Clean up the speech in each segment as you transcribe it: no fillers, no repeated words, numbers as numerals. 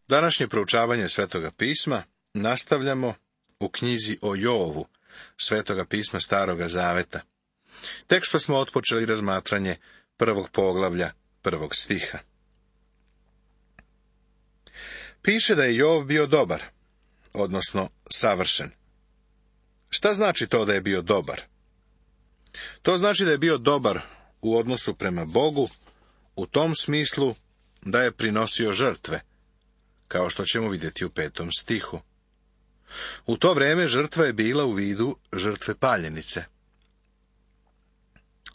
Današnje proučavanje Svetoga pisma nastavljamo u knjizi o Jovu, Svetoga pisma Staroga Zaveta. Tek što smo otpočeli razmatranje 1. poglavlja 1. stiha. Piše da je Jov bio dobar, odnosno savršen. Šta znači to da je bio dobar? To znači da je bio dobar u odnosu prema Bogu, u tom smislu da je prinosio žrtve, kao što ćemo vidjeti u 5. stihu. U to vrijeme žrtva je bila u vidu žrtve paljenice.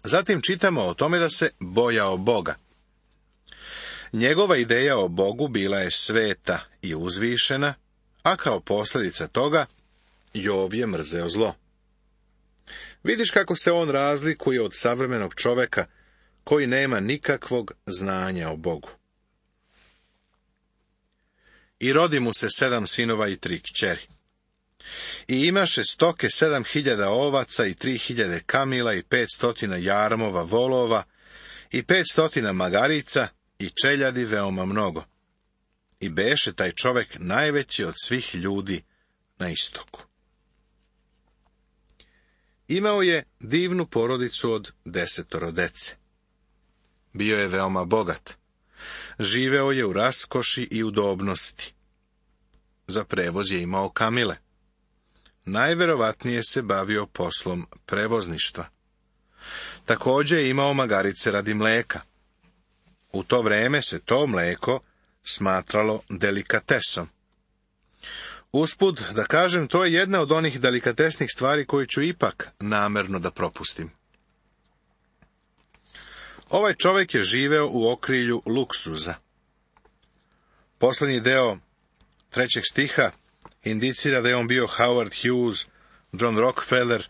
Zatim čitamo o tome da se bojao Boga. Njegova ideja o Bogu bila je sveta i uzvišena, a kao posljedica toga Jov je mrzeo zlo. Vidiš kako se on razlikuje od savremenog čovjeka koji nema nikakvog znanja o Bogu. I rodi mu se 7 sinova i 3 kćeri. I imaše stoke 7.000 ovaca i 3.000 kamila i 500 jarmova volova i 500 magarica i čeljadi veoma mnogo. I beše taj čovjek najveći od svih ljudi na istoku. Imao je divnu porodicu od 10 dece. Bio je veoma bogat. Živeo je u raskoši i udobnosti. Za prevoz je imao kamile. Najverovatnije se bavio poslom prevozništva. Također je imao magarice radi mleka. U to vrijeme se to mleko smatralo delikatesom. Usput, da kažem, to je jedna od onih delikatesnih stvari koju ću ipak namjerno da propustim. Ovaj čovjek je živeo u okrilju luksuza. Posljednji deo 3. stiha indicira da je on bio Howard Hughes, John Rockefeller,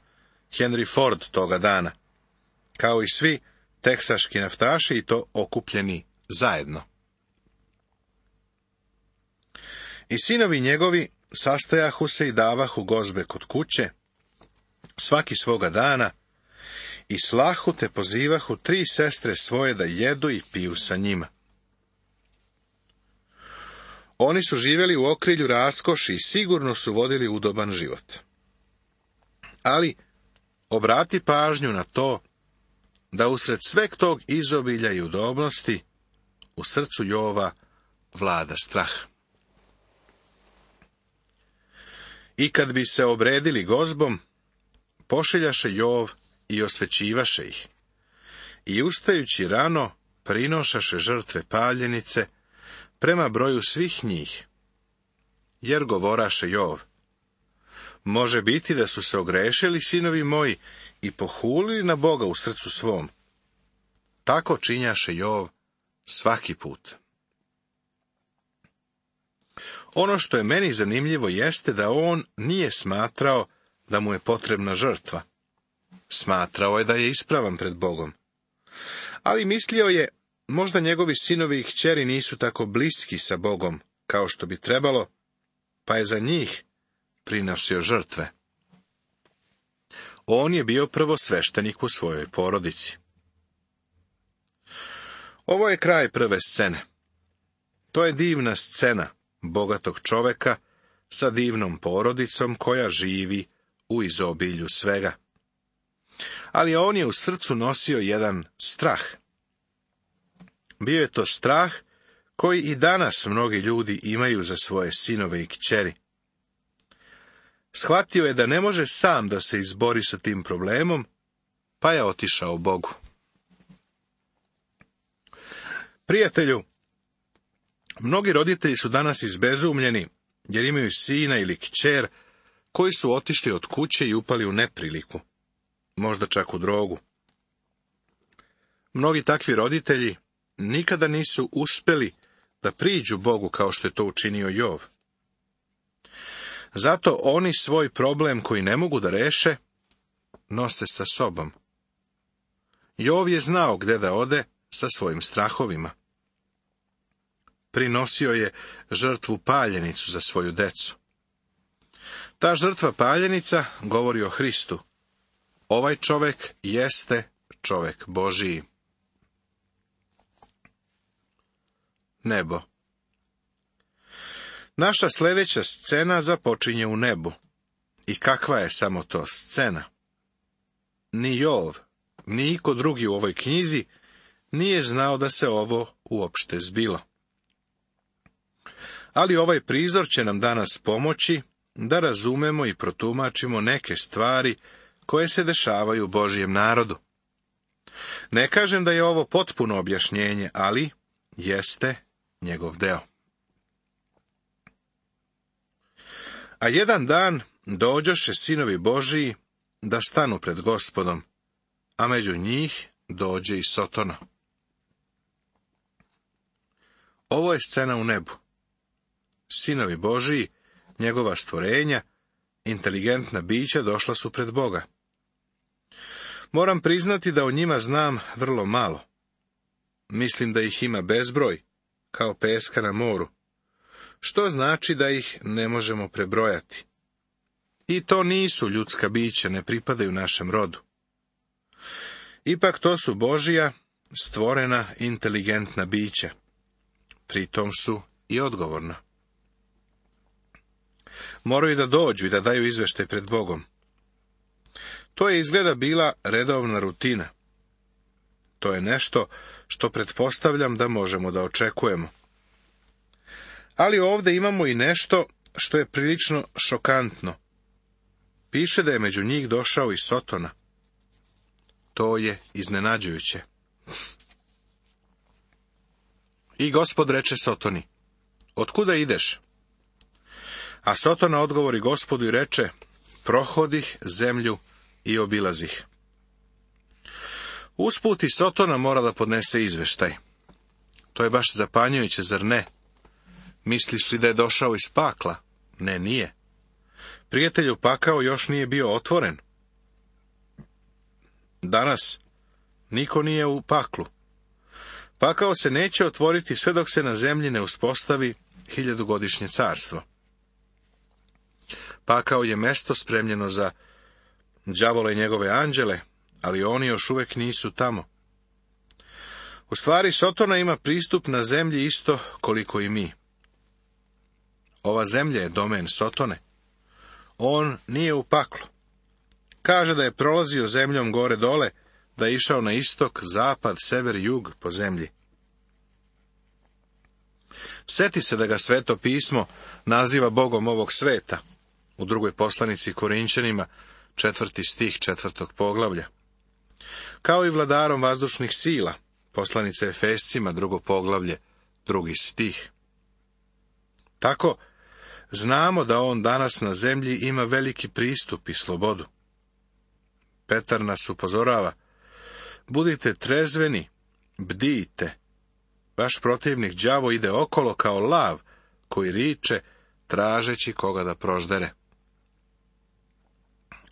Henry Ford toga dana, kao i svi teksaški naftaši i to okupljeni zajedno. I sinovi njegovi sastajahu se i davahu gozbe kod kuće, svaki svoga dana, i slahu te pozivahu 3 sestre svoje da jedu i piju sa njima. Oni su živjeli u okrilju raskoši i sigurno su vodili udoban život. Ali obrati pažnju na to da usred sveg tog izobilja i udobnosti u srcu Jova vlada strah. I kad bi se obredili gozbom, pošiljaše Jov i osvećivaše ih. I ustajući rano, prinošaše žrtve paljenice prema broju svih njih. Jer govoraše Jov: može biti da su se ogrešili sinovi moji i pohulili na Boga u srcu svom. Tako činjaše Jov svaki put. Ono što je meni zanimljivo jeste da on nije smatrao da mu je potrebna žrtva. Smatrao je da je ispravan pred Bogom. Ali mislio je, možda njegovi sinovi i kćeri nisu tako bliski sa Bogom kao što bi trebalo, pa je za njih prinosio žrtve. On je bio prvosveštenik u svojoj porodici. Ovo je kraj prve scene. To je divna scena bogatog čoveka sa divnom porodicom koja živi u izobilju svega. Ali on je u srcu nosio jedan strah. Bio je to strah koji i danas mnogi ljudi imaju za svoje sinove i kćeri. Shvatio je da ne može sam da se izbori sa tim problemom, pa je otišao Bogu. Prijatelju, mnogi roditelji su danas izbezumljeni jer imaju sina ili kćer koji su otišli od kuće i upali u nepriliku, možda čak u drogu. Mnogi takvi roditelji nikada nisu uspjeli da priđu Bogu kao što je to učinio Jov. Zato oni svoj problem koji ne mogu da reše, nose sa sobom. Jov je znao gde da ode sa svojim strahovima. Prinosio je žrtvu paljenicu za svoju decu. Ta žrtva paljenica govori o Hristu. Ovaj čovjek jeste čovjek Božiji. Naša sljedeća scena započinje u nebu. I kakva je samo to scena? Ni Jov, ni iko drugi u ovoj knjizi nije znao da se ovo uopšte zbilo. Ali ovaj prizor će nam danas pomoći da razumemo i protumačimo neke stvari koje se dešavaju Božjem narodu. Ne kažem da je ovo potpuno objašnjenje, ali jeste njegov deo. A jedan dan dođoše sinovi Božiji da stanu pred Gospodom, a među njih dođe i Sotona. Ovo je scena u nebu. Sinovi Božiji, njegova stvorenja, inteligentna bića došla su pred Boga. Moram priznati da o njima znam vrlo malo. Mislim da ih ima bezbroj, kao peska na moru, što znači da ih ne možemo prebrojati. I to nisu ljudska bića, ne pripadaju našem rodu. Ipak to su Božja, stvorena, inteligentna bića. Pritom su i odgovorna. Moraju da dođu i da daju izveštaj pred Bogom. To je izgleda bila redovna rutina. To je nešto što pretpostavljam da možemo da očekujemo. Ali ovdje imamo i nešto što je prilično šokantno. Piše da je među njih došao i Sotona. To je iznenađujuće. I Gospod reče Sotoni, otkuda ideš? A Sotona odgovori Gospodu i reče, prohodih zemlju i obilazih. Usput i Sotona mora da podnese izveštaj. To je baš zapanjujuće, zar ne? Misliš li da je došao iz pakla? Ne, nije. Prijatelju, pakao još nije bio otvoren. Danas niko nije u paklu. Pakao se neće otvoriti sve dok se na zemlji ne uspostavi 1000-godišnje carstvo. Pakao je mesto spremljeno za đavola i njegove anđele, ali oni još uvijek nisu tamo. U stvari, Sotona ima pristup na zemlji isto koliko i mi. Ova zemlja je domen Sotone. On nije u paklu. Kaže da je prolazio zemljom gore dole, da je išao na istok, zapad, sever, jug po zemlji. Sjeti se da ga Sveto pismo naziva Bogom ovog sveta, u drugoj poslanici Korinćanima, 4. stih 4. poglavlja. Kao i vladarom vazdušnih sila, poslanica Efescima, 2. poglavlje, 2. stih. Tako, znamo da on danas na zemlji ima veliki pristup i slobodu. Petar nas upozorava, budite trezveni, bdijte. Vaš protivnik đavo ide okolo kao lav koji riče, tražeći koga da proždere.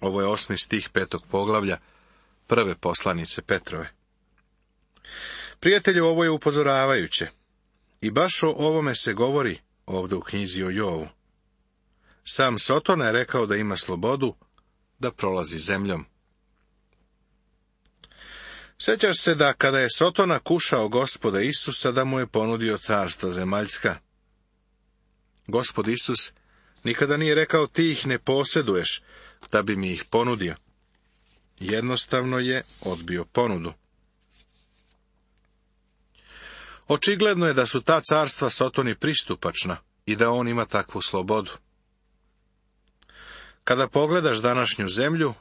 Ovo je 8. stih 5. poglavlja, 1. poslanice Petrove. Prijatelju, ovo je upozoravajuće. I baš o ovome se govori ovdje u knjizi o Jovu. Sam Sotona je rekao da ima slobodu da prolazi zemljom. Sjećaš se da kada je Sotona kušao Gospoda Isusa, da mu je ponudio carstva zemaljska. Gospod Isus nikada nije rekao ti ih ne posjeduješ, da bi mi ih ponudio. Jednostavno je odbio ponudu. Očigledno je da su ta carstva Sotoni pristupačna i da on ima takvu slobodu. Kada pogledaš današnju zemlju,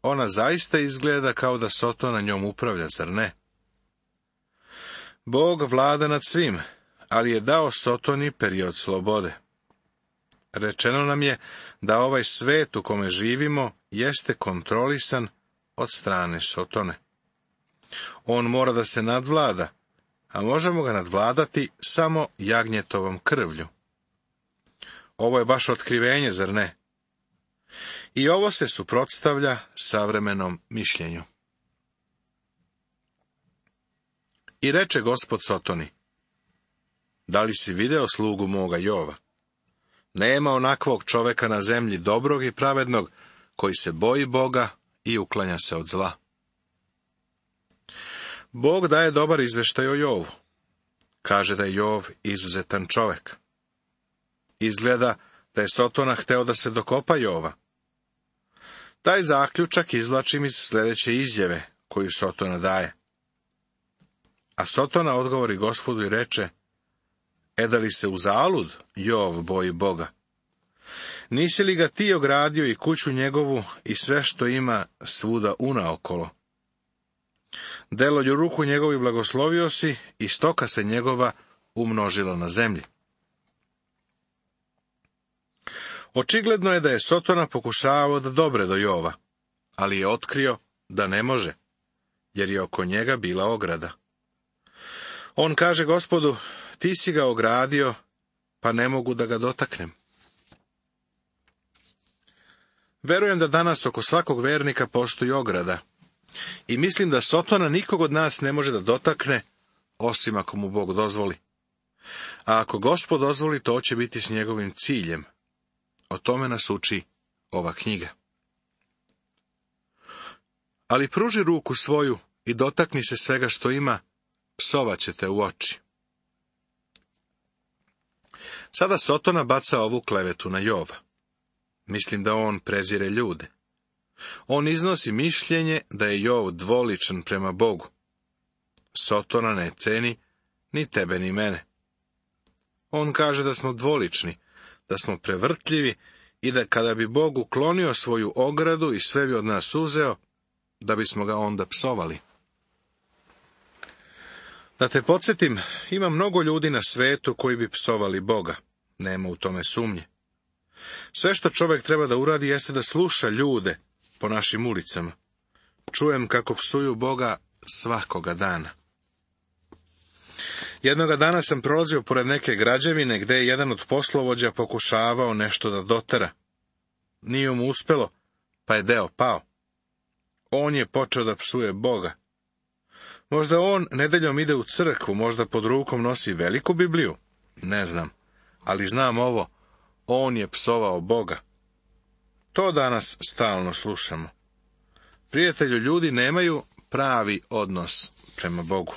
ona zaista izgleda kao da Sotona njom upravlja, zar ne? Bog vlada nad svim, ali je dao Sotoni period slobode. Rečeno nam je da ovaj svet u kome živimo jeste kontrolisan od strane Sotone. On mora da se nadvlada, a možemo ga nadvladati samo jagnjetovom krvlju. Ovo je baš otkrivenje, zar ne? I ovo se suprotstavlja savremenom mišljenju. I reče Gospod Sotoni, da li si video slugu moga Jova? Nema onakvog čoveka na zemlji dobrog i pravednog, koji se boji Boga i uklanja se od zla. Bog daje dobar izveštaj o Jovu. Kaže da je Jov izuzetan čovek. Izgleda da je Sotona hteo da se dokopa Jova. Taj zaključak izvlačim iz sljedeće izjave koju Sotona daje. A Sotona odgovori Gospodu i reče: da li se uzalud Jov boji Boga? Nisi li ga ti ogradio i kuću njegovu i sve što ima svuda unaokolo? Delolju ruku njegovi blagoslovio si i stoka se njegova umnožila na zemlji. Očigledno je da je Sotona pokušavao da dobre do Jova, ali je otkrio da ne može, jer je oko njega bila ograda. On kaže Gospodu: ti si ga ogradio, pa ne mogu da ga dotaknem. Verujem da danas oko svakog vernika postoji ograda, i mislim da Sotona nikog od nas ne može da dotakne, osim ako mu Bog dozvoli. A ako Gospod dozvoli, to će biti s njegovim ciljem. O tome nas uči ova knjiga. Ali pruži ruku svoju i dotakni se svega što ima, psovaće te u oči. Sada Sotona baca ovu klevetu na Jova. Mislim da on prezire ljude. On iznosi mišljenje da je Jov dvoličan prema Bogu. Sotona ne ceni ni tebe ni mene. On kaže da smo dvolični, da smo prevrtljivi i da kada bi Bog uklonio svoju ogradu i sve bi od nas uzeo, da bismo ga onda psovali. Da te podsjetim, ima mnogo ljudi na svetu koji bi psovali Boga. Nema u tome sumnje. Sve što čovjek treba da uradi jeste da sluša ljude po našim ulicama. Čujem kako psuju Boga svakoga dana. Jednoga dana sam prolazio pored neke građevine gdje je jedan od poslovođa pokušavao nešto da dotera. Nije mu uspelo, pa je deo pao. On je počeo da psuje Boga. Možda on nedeljom ide u crkvu, možda pod rukom nosi veliku Bibliju, ne znam, ali znam ovo, on je psovao Boga. To danas stalno slušamo. Prijatelju, ljudi nemaju pravi odnos prema Bogu.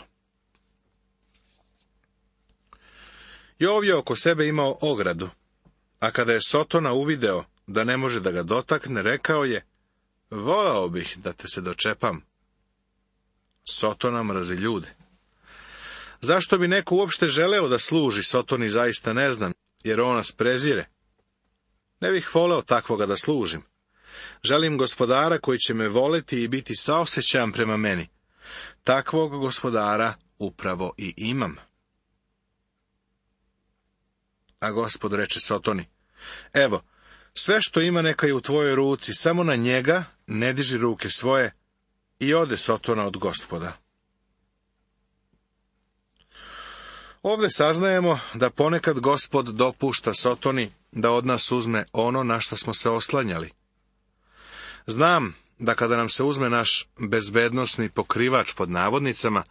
Jov je oko sebe imao ogradu, a kada je Sotona uvideo da ne može da ga dotakne, rekao je: volao bih da te se dočepam. Sotona mrzi ljude. Zašto bi neko uopšte želeo da služi Sotoni, zaista ne znam, jer on nas prezire. Ne bih voleo takvoga da služim. Želim Gospodara koji će me voleti i biti saosećajan prema meni. Takvog Gospodara upravo i imam. A Gospod reče Sotoni: evo, sve što ima neka je u tvojoj ruci, samo na njega ne diži ruke svoje. I ode Sotona od Gospoda. Ovdje saznajemo da ponekad Gospod dopušta Sotoni da od nas uzme ono na što smo se oslanjali. Znam da kada nam se uzme naš bezbednosni pokrivač pod navodnicama,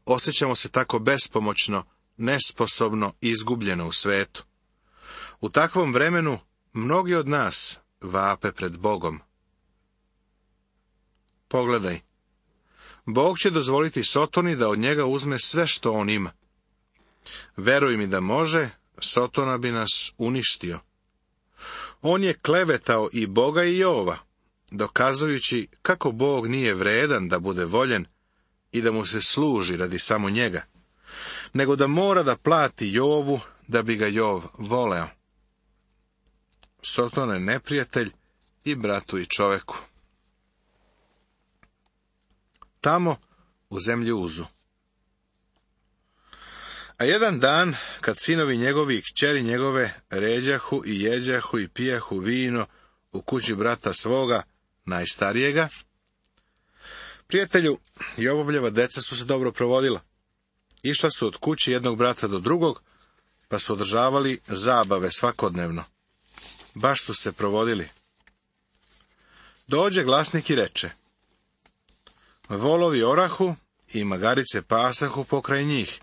osjećamo se tako bespomoćno, nesposobno i izgubljeno u svetu. U takvom vremenu mnogi od nas vape pred Bogom. Pogledaj, Bog će dozvoliti Sotoni da od njega uzme sve što on ima. Veruj mi da može, Sotona bi nas uništio. On je klevetao i Boga i Jova, dokazujući kako Bog nije vredan da bude voljen i da mu se služi radi samo njega, nego da mora da plati Jovu da bi ga Jov voleo. Sotona je neprijatelj i bratu i čoveku. Tamo, u zemlji Uzu. A jedan dan, kad sinovi njegovi i kćeri njegove ređahu i jeđahu i pijahu vino u kući brata svoga, najstarijega, prijatelju, Jovovljeva deca su se dobro provodila. Išla su od kući jednog brata do drugog, pa su održavali zabave svakodnevno. Baš su se provodili. Dođe glasnik i reče: volovi orahu i magarice pasahu pokraj njih.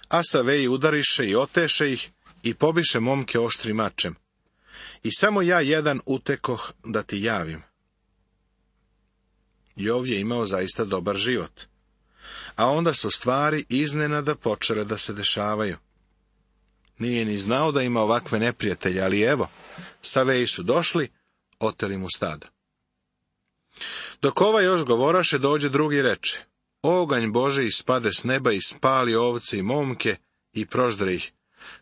A saveji udariše i oteše ih i pobiše momke oštrim mačem. I samo ja jedan utekoh da ti javim. Jov je imao zaista dobar život. A onda su stvari iznenada počele da se dešavaju. Nije ni znao da ima ovakve neprijatelje, ali evo, Saveji su došli, oteli mu stada. Dok ova još govoraše, dođe drugi i reče: Oganj Bože ispade s neba i spali ovce i momke i proždre ih.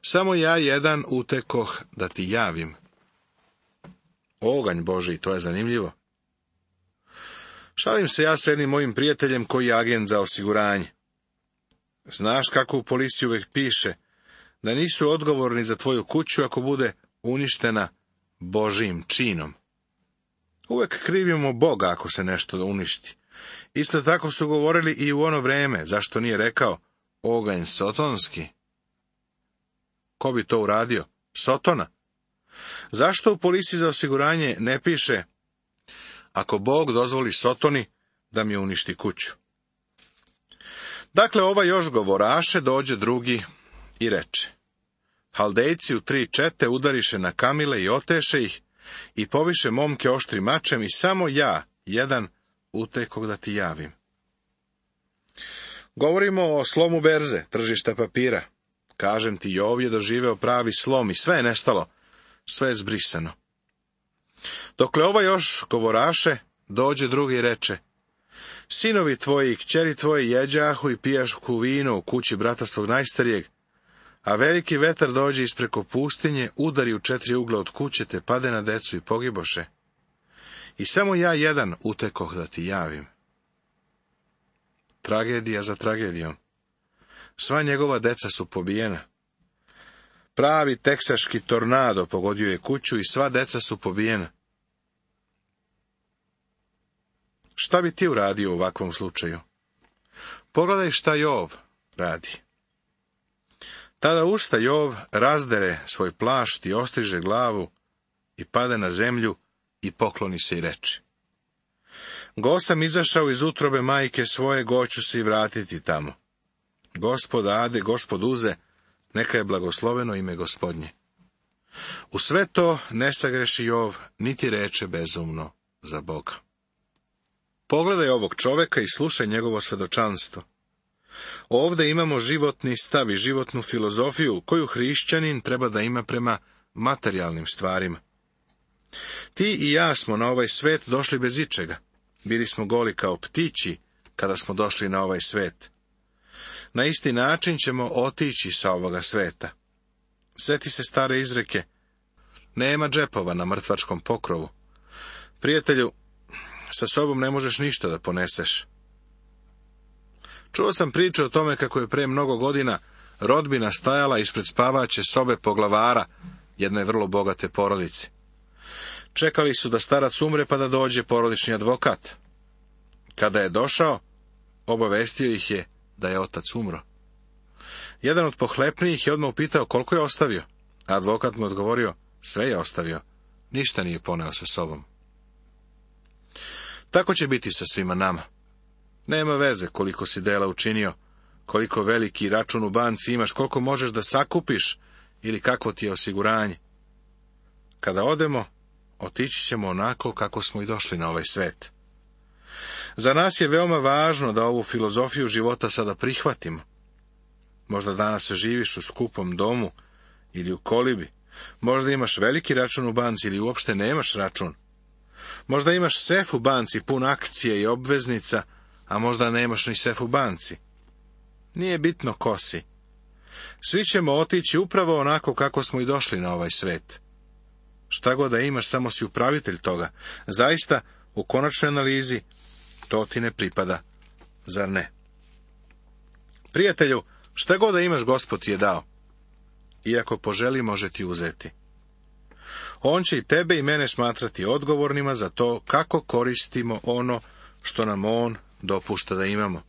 Samo ja jedan utekoh da ti javim. Oganj Boži, to je zanimljivo. Šalim se ja s jednim mojim prijateljem koji je agent za osiguranje. Znaš kako u policiji uvijek piše da nisu odgovorni za tvoju kuću ako bude uništena Božijim činom. Uvijek krivimo Boga ako se nešto uništi. Isto tako su govorili i u ono vrijeme, zašto nije rekao oganj sotonski? Ko bi to uradio? Sotona. Zašto u policiji za osiguranje ne piše ako Bog dozvoli Sotoni da mi uništi kuću? Dakle, ova još govoraše, dođe drugi i reče: Haldejci u 3 čete udariše na kamile i oteše ih i poviše momke oštrim mačem i samo ja, jedan, utekog da ti javim. Govorimo o slomu berze, tržišta papira. Kažem ti, Jov je doživeo pravi slom i sve je nestalo, sve je zbrisano. Dokle ova još govoraše, dođe drugi i reče: Sinovi tvoji i kćeri tvoji jeđahu i pijašku vino u kući brata svog najstarijeg, a veliki vetar dođe ispreko pustinje, udari u 4 ugla od kuće, te pade na decu i pogiboše. I samo ja jedan utekoh da ti javim. Tragedija za tragedijom. Sva njegova deca su pobijena. Pravi teksaški tornado pogodio je kuću i sva deca su pobijena. Šta bi ti uradio u ovakvom slučaju? Pogledaj šta Jov radi. Tada usta Jov, razdere svoj plašt i ostriže glavu i pade na zemlju i pokloni se i reče: Go sam izašao iz utrobe majke svoje, go ću se i vratiti tamo. Gospod ade, Gospod uze, neka je blagosloveno ime Gospodnje. U sve to ne sagreši Jov, niti reče bezumno za Boga. Pogledaj ovog čoveka i slušaj njegovo svedočanstvo. Ovdje imamo životni stav i životnu filozofiju koju hrišćanin treba da ima prema materijalnim stvarima. Ti i ja smo na ovaj svet došli bez ičega. Bili smo goli kao ptići kada smo došli na ovaj svet. Na isti način ćemo otići sa ovoga sveta. Sjeti se stare izreke: nema džepova na mrtvačkom pokrovu. Prijatelju, sa sobom ne možeš ništa da poneseš. Čuo sam priču o tome kako je pre mnogo godina rodbina stajala ispred spavaće sobe poglavara jedne vrlo bogate porodice. Čekali su da starac umre pa da dođe porodični advokat. Kada je došao, obavestio ih je da je otac umro. Jedan od pohlepnijih je odmah upitao koliko je ostavio, a advokat mu odgovorio: sve je ostavio, ništa nije poneo sa sobom. Tako će biti sa svima nama. Nema veze koliko si dela učinio, koliko veliki račun u banci imaš, koliko možeš da sakupiš ili kakvo ti je osiguranje. Kada odemo, otići ćemo onako kako smo i došli na ovaj svet. Za nas je veoma važno da ovu filozofiju života sada prihvatimo. Možda danas živiš u skupom domu ili u kolibi. Možda imaš veliki račun u banci ili uopšte nemaš račun. Možda imaš sef u banci pun akcije i obveznica, a možda nemaš ni sef u banci. Nije bitno ko si. Svi ćemo otići upravo onako kako smo i došli na ovaj svet. Šta god da imaš, samo si upravitelj toga. Zaista, u konačnoj analizi, to ti ne pripada, zar ne? Prijatelju, šta god da imaš, Gospod ti je dao. Iako poželi, može ti uzeti. On će i tebe i mene smatrati odgovornima za to kako koristimo ono što nam on dopušta da imamo.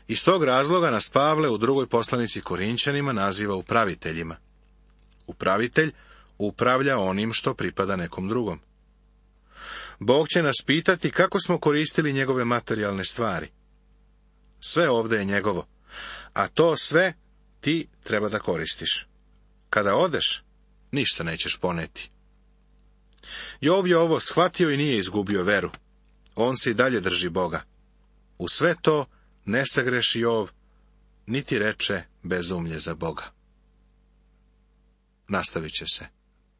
Iz tog razloga nas Pavle u 2. poslanici Korinćanima naziva upraviteljima. Upravitelj upravlja onim što pripada nekom drugom. Bog će nas pitati kako smo koristili njegove materijalne stvari. Sve ovdje je njegovo, a to sve ti treba da koristiš. Kada odeš, ništa nećeš poneti. Jov je ovo shvatio i nije izgubio veru. On se i dalje drži Boga. U sve to ne sagreši Jov, niti reče bezumlje za Boga. nastavit će se.